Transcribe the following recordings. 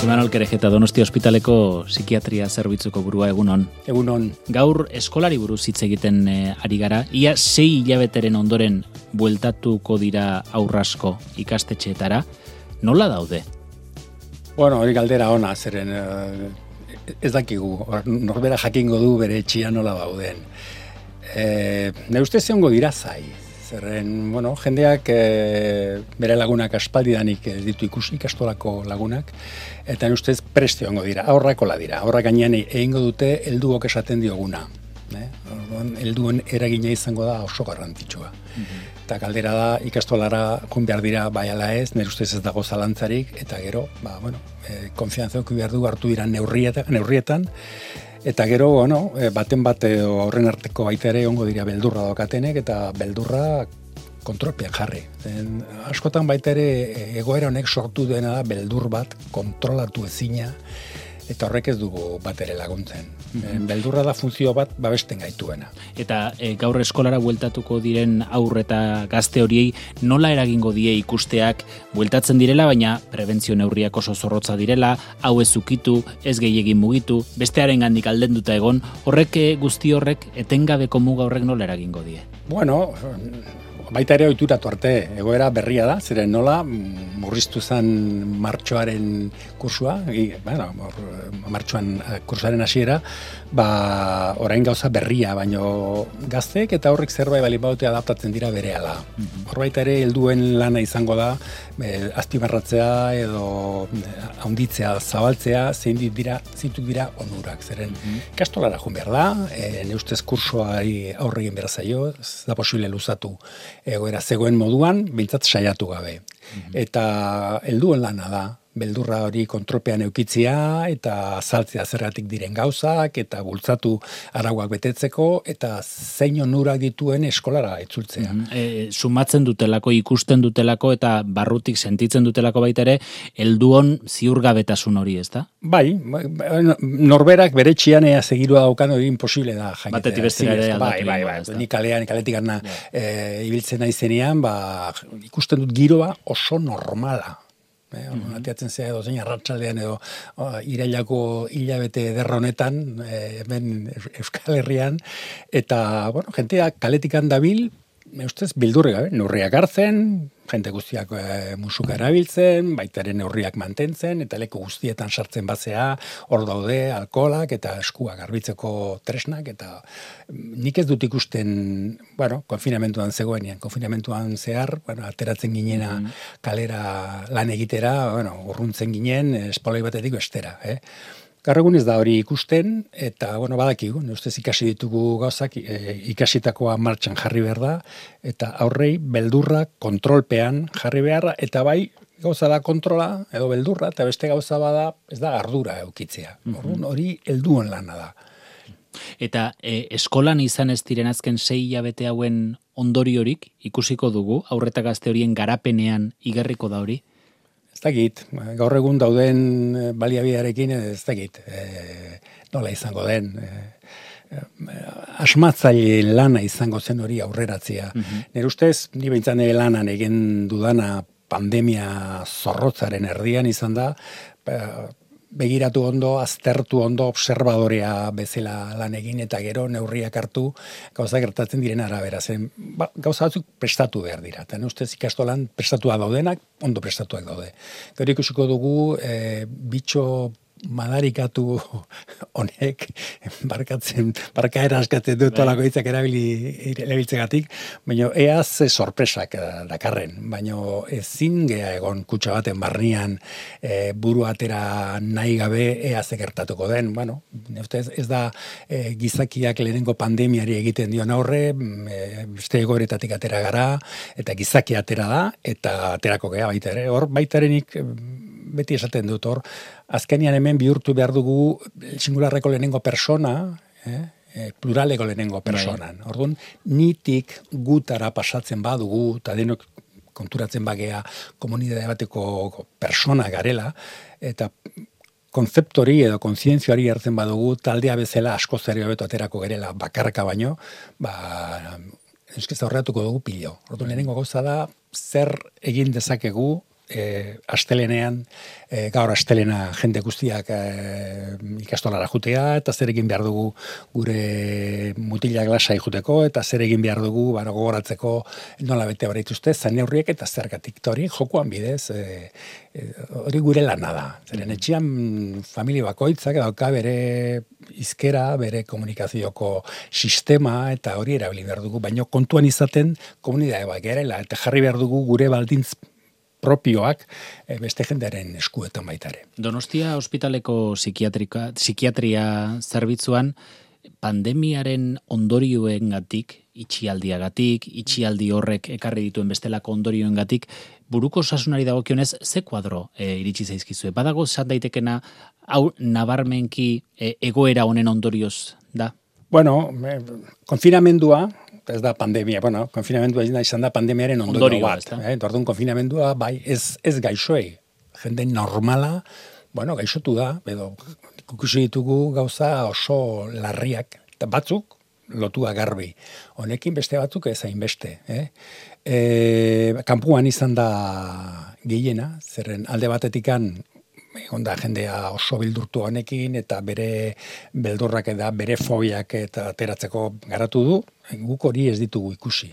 Imanol Kerejeta, Donostia ospitaleko psikiatria zerbitzuko burua, egunon. Egunon. Gaur eskolari buruz hitz egiten ari gara. Ia 6 hilabeteren ondoren bueltatuko dira aurrasko ikastetxeetara. Nola daude? Bueno, hori galdera ona, zeren ez dakigu. Norbera jakingo du bere etxia nola dauden. Ne ustez egongo dira zai. Zerren, bueno, jendeak bere lagunak aspaldidanik ditu ikastolako lagunak, eta ustez preste egongo dira, aurrakola dira. Aurrak gainean egingo dute helduok esaten dioguna. Helduen eragina izango da oso garrantzitsua. Eta galdera da, ikastolara joan behar dira bai ala ez, nire ustez ez dago zalantzarik, eta gero, konfiantza eduki behar du hartu dira neurrietan, eta gero, baten bat horren arteko baita ere ongo dira beldurra daukatenek, eta beldurra kontrolpean jarri. Askotan baita ere egoera honek sortu dena da beldur bat kontrolatu ezina, eta horrek ez dugu bat ere laguntzen. Beldurra da funtzio bat babesten gaituena. Eta gaur eskolara bueltatuko diren aurre eta gazte horiei nola eragingo die ikusteak bueltatzen direla, baina prebentzio neurriak oso zorrotza direla, hau ez ukitu, ez gehiegin mugitu, bestearengandik aldenduta egon, guzti horrek etengabeko muga horrek nola eragingo die? Bueno, baita ere ohituratu arte, egoera berria da, zeren nola murriztu zen martxoaren kursua, martxoan kursaren hasiera, orain gauza berria, baino gazteek eta horrek zerbait bali baute adaptatzen dira berehala. Hor baita ere helduen lana izango da, azpimarratzea edo handitzea, zabaltzea, zeintzuk dira onurak. Zeren ikastolara joan behar da, ne ustez kursoari aurre egin behar zaio, ez da posible luzatu egoera zegoen moduan, behintzat saiatu gabe. Eta helduen lana da, beldurra hori kontrolpean eukitzia eta azaltzea zergatik diren gauzak eta bultzatu arauak betetzeko eta zein onurak dituen eskolara itzultzea. Sumatzen dutelako, ikusten dutelako eta barrutik sentitzen dutelako baita ere helduon ziurgabetasun hori, ezta? Bai, norberak bere txian segirua daukan hori imposible da jakitea. Batetik bestera ere aldatu. Bai. Ni kaletik gana ibiltzen naizenean, ikusten dut giroa oso normala. Atiatzen zea edo zein arratsaldean edo irailako hilabete derronetan hemen Euskal Herrian eta jenteak kaletikan dabil ustez bildurri gabe, neurriak hartzen, jente guztiak musuka erabiltzen, baitaren neurriak mantentzen, eta leku guztietan sartzen bazea, hor daude, alkoholak eta eskuak garbitzeko tresnak, eta nik ez dut ikusten, konfinamentuan zegoenean, konfinamentuan zehar, ateratzen ginena kalera lan egitera, urruntzen ginen, espaloi batetik bestera, Gaur egun ez da hori ikusten, eta, badakigu, ustez ikasi ditugu gauzak, ikasitakoa martxan jarri behar da, eta aurrei beldurra kontrolpean jarri behar, eta bai, gauza da kontrola, edo beldurra, eta beste gauza bada, ez da ardura eukitzea. Hori helduen lana da. Eta eskolan izan ez diren azken 6 hilabete hauen ondoriorik ikusiko dugu, aurre eta gazte horien garapenean igarriko da hori? Ez dakit, gaur egun dauden baliabidearekin ez dakit, nola izango den, asmatzaile lana izango zen hori aurreratzea. Nire ustez, ni behintzan lanan egin dudana pandemia zorrotzaren erdian izan da, begiratu ondo, aztertu ondo, observadorea bezala lan egin eta gero neurriak hartu gauza gertatzen diren arabera. Gauza batzuk prestatu behar dira. Eta ustez ikastolan prestatua daudenak, ondo prestatuak daude. Gero ikusiko dugu bitxo madarikatu honek barkaera askatzen dut olako hitzak erabiltzegatik, baina eaz sorpresak dakarren, baina ezin gea egon kutxa baten barnean buru atera nahi gabe eaz egertatuko den, ez da gizakiak lehenengo pandemiari egiten dion aurre, beste egoeretatik atera gara, eta gizaki atera da, eta aterako gea baita ere, hor baitarenik beti esaten dut hor, azkenean hemen bihurtu behar dugu singularreko lehenengo persona, pluraleko lehenengo personan. Orduan, nitik gutara pasatzen badugu, eta denok konturatzen bagea komunidade bateko persona garela, eta konzeptori edo kontzientzioari hartzen badugu, taldea bezala asko zer hobeto aterako gerela bakarka baino, eskez aurreatuko dugu pilo. Orduan, lehenengo gauza da, zer egin dezakegu astelenean, gaur astelena jende guztiak ikastolara jutea, eta zer egin behar dugu gure mutilak lasai juteko, eta zer egin behar dugu gogoratzeko nola bete hori dituzte, zan neurriek eta zergatik. Eta hori jokoan bidez, hori gure lana da. Zeren etxean familia bakoitzak dauka bere izkera, bere komunikazioko sistema, eta hori erabili behar dugu, baina kontuan izaten komunidade bat gerela, eta jarri behar dugu gure baldintz propioak beste jendearen eskuetan baitare. Donostia ospitaleko psikiatria zerbitzuan pandemiaren ondorioengatik, itxialdi horrek ekarri dituen bestelako ondorioengatik, buruko osasunari dagokionez ze kuadro iritsi zaizkizue. Badago esan daitekena hau nabarmenki egoera honen ondorioz da? Bueno, konfinamendua, ez da pandemia, konfinamendua izan da pandemiaren ondorio bat. Orduan konfinamendua, bai, ez gaixoei. Jende normala, gaixotu da, edo ikusi ditugu gauza oso larriak, eta batzuk lotua garbi. Honekin beste batzuk ez hainbeste. Kanpuan izan da gehiena, zerren alde batetikan egon da jendea oso bildurtu honekin, eta bere beldurrak eta bere fobiak eta ateratzeko garatu du, guk hori ez ditugu ikusi.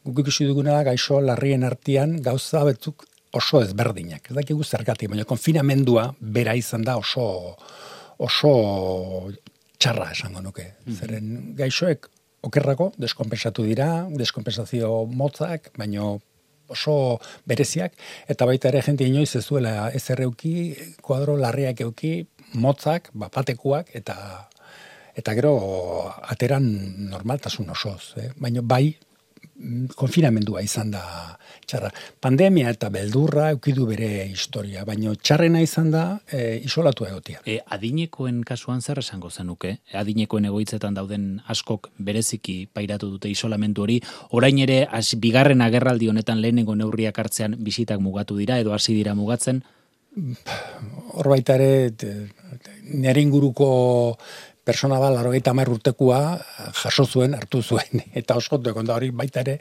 Guk ikusi duguna da gaixo larrien artean gauza batzuk oso ezberdinak. Ez dakigu zergatik, baina konfinamendua bera izan da oso txarra esango nuke. Zeren gaixoek okerrako deskonpensatu dira, deskonpensazio motzak, baina oso bereziak, eta baita ere jente inoiz ez duela ez erreuki, kuadro larriak euki, motzak, batekuak, eta gero ateran normaltasun osoz. Baina bai, konfinamendua izan da txarra. Pandemia eta beldurra eukidu bere historia, baina txarrena izan da isolatu egotia. Adinekoen kasuan zer esango zenuke? Adinekoen egoitzetan dauden askok bereziki pairatu dute isolamendu hori, orain ere bigarren agerraldi honetan lehenengo neurriak hartzean bisitak mugatu dira edo hasi dira mugatzen? Hor baita ere, nire inguruko persona bat, 80 urtekoa jaso zuen, hartu zuen, eta oskotu egon da hori baita ere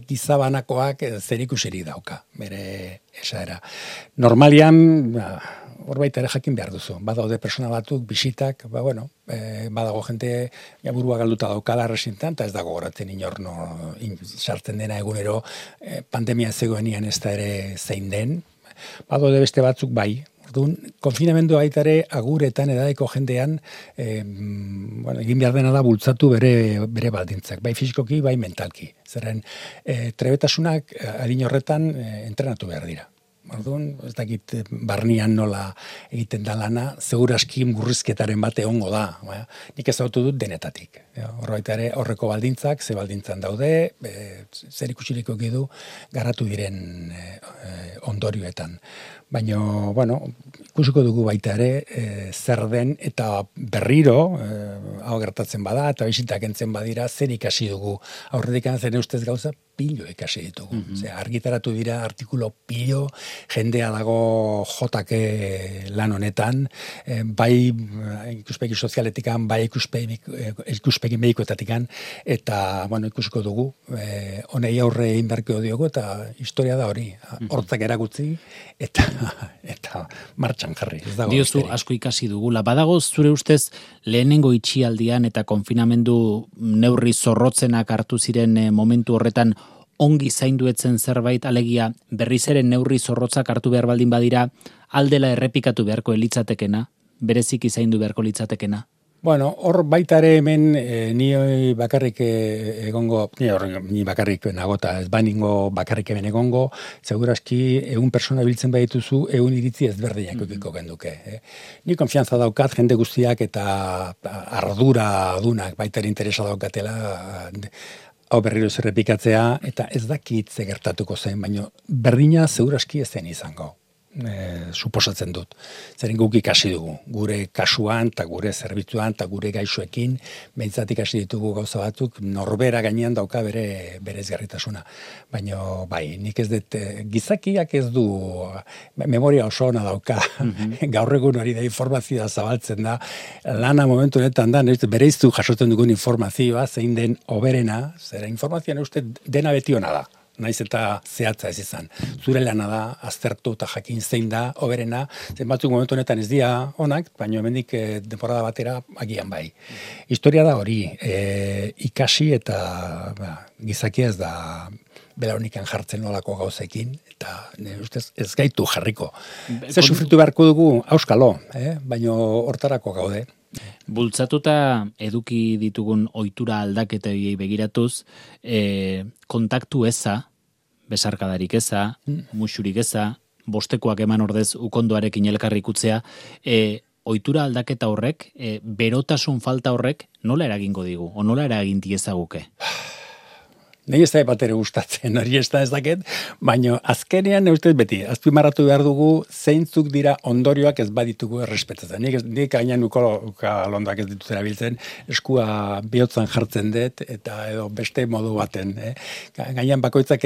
gizabanakoak zerikusirik dauka, bere esaera. Normalian, hor baita ere jakin behar duzu, badaude persona batzuk, bisitak, badago jente burua galduta daukala resintan, eta ez dago goratzen inorno sartzen dena egunero pandemia zegoenian ez da ere zein den, badaude beste batzuk bai. Konfinamendu baitare aguretan edadeko jendean egin behar dena da bultzatu bere baldintzak, bai fisikoki, bai mentalki. Zerren, trebetasunak adin horretan entrenatu behar dira. Orduan, ez dakit barnian nola egiten da lana, seguraski murrizketaren bate ongo da. Nik ezautu dut denetatik. Horbaitare horreko baldintzak, ze baldintzan daude, zer ikusiliko du garatu diren ondorioetan. Baina, ikusiko dugu baita ere, zer den eta berriro, hau gertatzen bada, eta bisitak entzen badira, zer ikasi dugu. Aurretik zen ustez gauza, pilo ikasi ditugu. Argitaratu dira artikulo pilo, jendea dago jotake lan honetan, bai ikuspegi sozialetikan, bai ikuspegi medikoetatikan, eta ikusiko dugu, honei aurre inberkio diogu, eta historia da hori, hortzak erakutzi, eta martxan jarri. Diozu asko ikasi dugula. Badago zure ustez lehenengo itxialdian eta konfinamendu neurri zorrotzenak hartu ziren momentu horretan ongi zainduetzen zerbait, alegia berriz ere neurri zorrotzak hartu behar baldin badira, aldela errepikatu beharko litzatekena, bereziki zaindu beharko litzatekena? Hor baita ere hemen ni bakarrik egongo, ni bakarrik nagota, ez baningo bakarrik hemen egongo, seguraski 100 persona biltzen badituzu 100 iritzi ezberdinak eukiko genduke. Ni konfiantza daukat jende guztiak eta ardura dunak baita ere interesa daukatela hau berriro zerrepikatzea, eta ez dakit ze gertatuko zen, baina berdina seguraski ez zen izango. Suposatzen dut. Zeren guk ikasi dugu. Gure kasuan, eta gure zerbitzuan, eta gure gaixoekin, behintzat ikasi ditugu gauza batzuk, norbera gainean dauka bere ezgarritasuna. Baina, bai, nik ez dut, gizakiak ez du, memoria oso ona dauka, gaur egun hori da informazioa zabaltzen da, lana momentu honetan da, bereiztu jasotzen dugun informazioa, zein den oberena, zera informazioan uste dena beti ona da. naiz eta zehatza ez izan. Zure lana da, aztertu eta jakin zein da, hoberena, zen batzuk momentu honetan ez dira onak, baina hemendik temporada batera agian bai. Historia da hori, ikasi eta gizakia ez da belaunikan jartzen nolako gauzekin, eta ustez ez gaitu jarriko. Ze sufritu beharko dugu, auskalo, baina hortarako gaude. Bultzatuta eduki ditugun ohitura aldaketei begiratuz, kontaktu eza, besarkadarik eza, musurik eza, bostekoak eman ordez ukondoarekin elkarrikutzea, ohitura aldaketa horrek, berotasun falta horrek, nola eragingo digu, o nola eragin diezaguke? Nei ez da batere gustatzen, hori ez dakit, baina azkenean ustez beti, azpimarratu behar dugu zeintzuk dira ondorioak ez baditugu errespetatzen. Nik gainean londak ez ditut erabiltzen, eskua bihotzan jartzen dut, eta edo beste modu baten. Gainean bakoitzak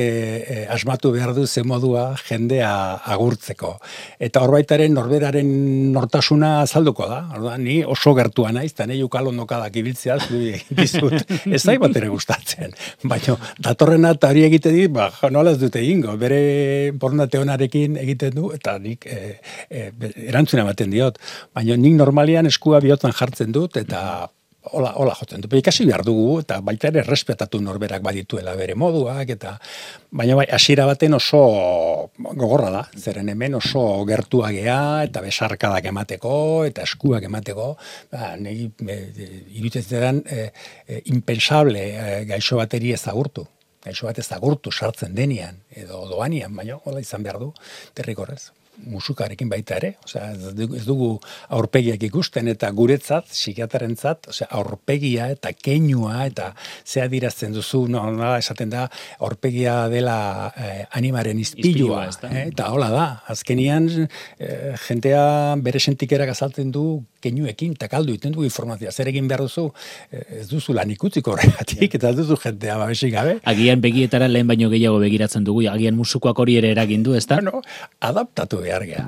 asmatu behar du ze modua jendea agurtzeko. Eta horbaitaren norberaren nortasuna azalduko da. Orduan, ni oso gertua naiz, eta nahi ukalondokadak ibiltzea, dizut, ez da batere gustatzen. Baina datorrena eta hori egite dit, nola ez dute egingo, bere borondate onarekin egiten du, eta nik erantzuna ematen diot. Baina nik normalian eskua bihotzan jartzen dut, eta hola jotzen dut. Ikasi behar dugu, eta baita ere respetatu norberak badituela bere moduak, eta baina bai, hasiera baten oso gogorra da, zeren hemen oso gertua gea, eta besarkadak emateko, eta eskuak emateko, iruditzen impensable gaixo bateri ezagurtu. Gaixo bat ezagurtu sartzen denean, edo doanian, baina hola izan behar du, derrigorrez. Musukarekin baita ere, ez dugu aurpegiak ikusten, eta guretzat, psikiatrentzat, aurpegia eta keinua, eta zea dirazten duzu, nola esaten da, aurpegia dela animaren izpilua, eta hola da, azkenian jentea bere sentikerak azaltzen du keinuekin, eta kaldu iten du informazioa, zer egin behar duzu, ez duzu lan ikutziko horregatik, eta ez duzu jentea babesik gabe. Agian begietara lehen baino gehiago begiratzen dugu, agian musukoak hori ere eragin du, ezta? Bueno, adaptatu behar gea.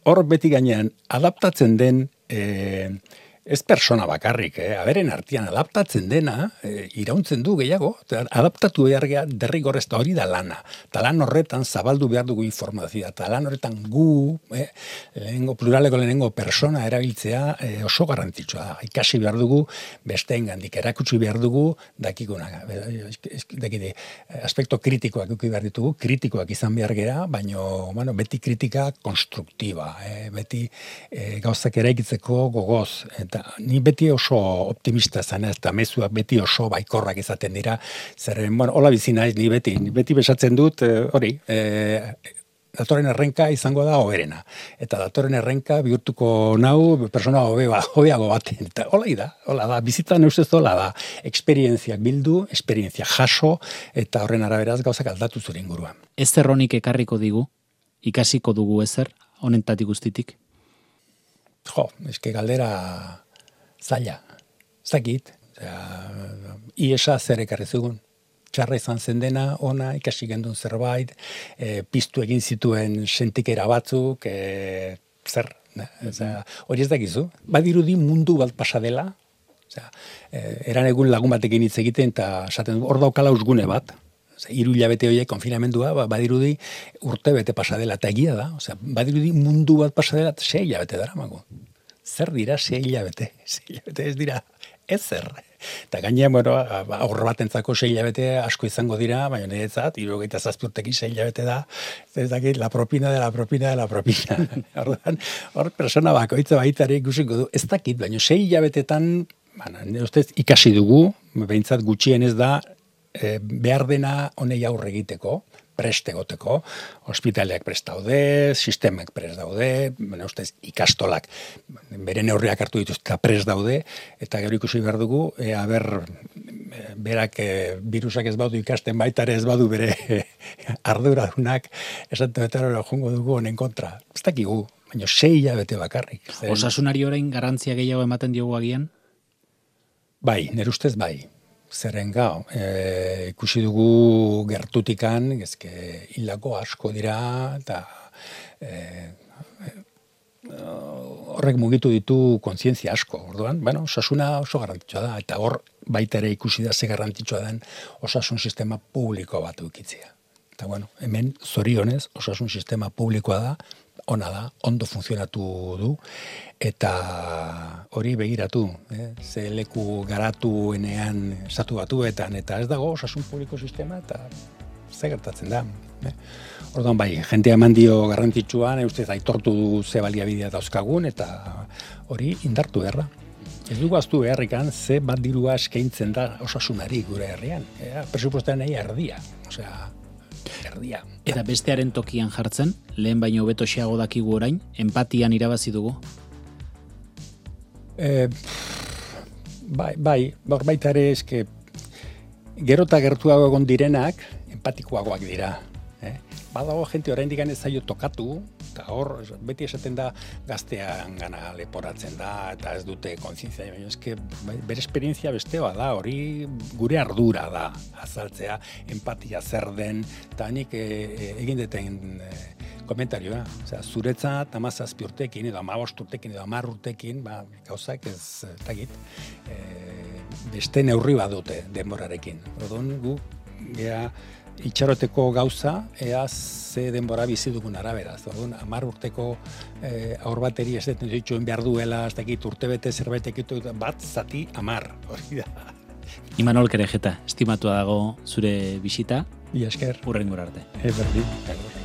Hor beti gainean adaptatzen den ez persona bakarrik, aberen artean adaptatzen dena, irauntzen du gehiago, adaptatu behar gea derrigorrez, eta hori da lana. Eta lan horretan zabaldu behar dugu informazioa, eta lan horretan gu, pluraleko lehenengo persona erabiltzea oso garrantzitsua da. Ikasi behar dugu besteengandik, erakutsi behar dugu dakikuna. Aspekto kritikoak eduki behar ditugu, kritikoak izan behar gera, baina beti kritika konstruktiba, beti gauzak eraikitzeko gogoz, eta ni beti oso optimista zan, eta mezuak beti oso baikorrak izaten dira, zerren, hola bizi naiz, ni beti besatzen dut, hori, datorren errenka izango da hoberena, eta datorren errenka bihurtuko nau persona hobeago baten, eta hola da, bizitzan eustez hola da, esperientziak bildu, esperientzia jaso, eta horren araberaz gauzak aldatu zure inguruan. Ezer honik ekarriko digu, ikasiko dugu ezer, honentatik guztitik? Eske galdera zaila, zakit, iesa zer ekarri zugun. Txarra izan zen dena, ona, ikasi gendun zerbait, piztu egin zituen sentikera batzuk, zer, hori ez dakizu. Badirudi mundu bat pasadela, eran egun lagun batekin hitz egiten, eta esaten hor daukala usgune bat, 3 hilabete horiek konfinamendua, badirudi urte bete pasadela, eta egia da, badirudi mundu bat pasadela, 6 hilabete dara mago. Zer dira 6 hilabete? 6 hilabete ez dira ezer. Eta gainean, aurre batentzako 6 hilabete asko izango dira, baina niretzat, 77 urtekin 6 hilabete da, ez dakit, la propina de la propina de la propina. Hor persona bakoitza baitare ikusiko du, ez dakit, baina 6 hilabetetan, ustez, ikasi dugu, behintzat gutxien ez da, behar dena honei aurre egiteko, prest egoteko, ospitaleak prest daude, sistemak prest daude, ustez, ikastolak bere neurriak hartu dituz eta prest daude, eta gero ikusi behar dugu, berak virusak ez badu ikasten baitare ez badu bere arduradunak, esaten betara jongo dugu honen kontra. Ez dakigu, baina 6 hilabete bakarrik. Osasunari orain garrantzia gehiago ematen diogu agian? Bai, nire ustez bai. Zerren gau, ikusi dugu gertutikan, hildako asko dira, eta horrek mugitu ditu kontzientzia asko. Orduan, osasuna oso garrantzitsua da, eta hor baita ere ikusi da ze garrantzitsua den osasun sistema publiko bat ukitzea. Eta bueno, hemen zorionez osasun sistema publikoa da, ona da, ondo funtzionatu du, eta hori begiratu, ze leku garatuenean estatu batuetan, eta ez dago osasun publiko sistema, eta ze gertatzen da. Orduan bai, jentea eman dio garrantzitsuan, ustez aitortu du ze baliabidea dauzkagun, eta hori indartu beharra. Ez dugu aztu beharrikan ze bat dirua eskaintzen da osasunari gure herrian. Presupuestean nahi erdia. Osea, erdia. Eta bestearen tokian jartzen, lehen baino hobeto xeago dakigu orain, empatian irabazi dugu? Baita ere eske gero eta gertuago egon direnak empatikoagoak dira. Badago jente oraindik ez zaio tokatu, eta hor beti esaten da gaztean gana leporatzen da, eta ez dute kontzientzia, baina eske bere esperientzia bestea da, hori gure ardura da azaltzea, empatia zer den, eta nik egin deten komentarioa, zuretzat 17 urtekin, edo 15 urtekin, edo 10 urtekin, gauzak ez tagit, beste neurri badute denborarekin. Orduan gu, itxaroteko gauza, ea ze denbora bizi dugun arabera. Orduan, 10 urteko aur bateri ez deten dituen behar duela, ez dakit urtebete zerbait ekitu, bat zati 10, hori da. Imanol Kerejeta, estimatua dago zure bisita. Ia esker. Hurrengora arte. Berdin.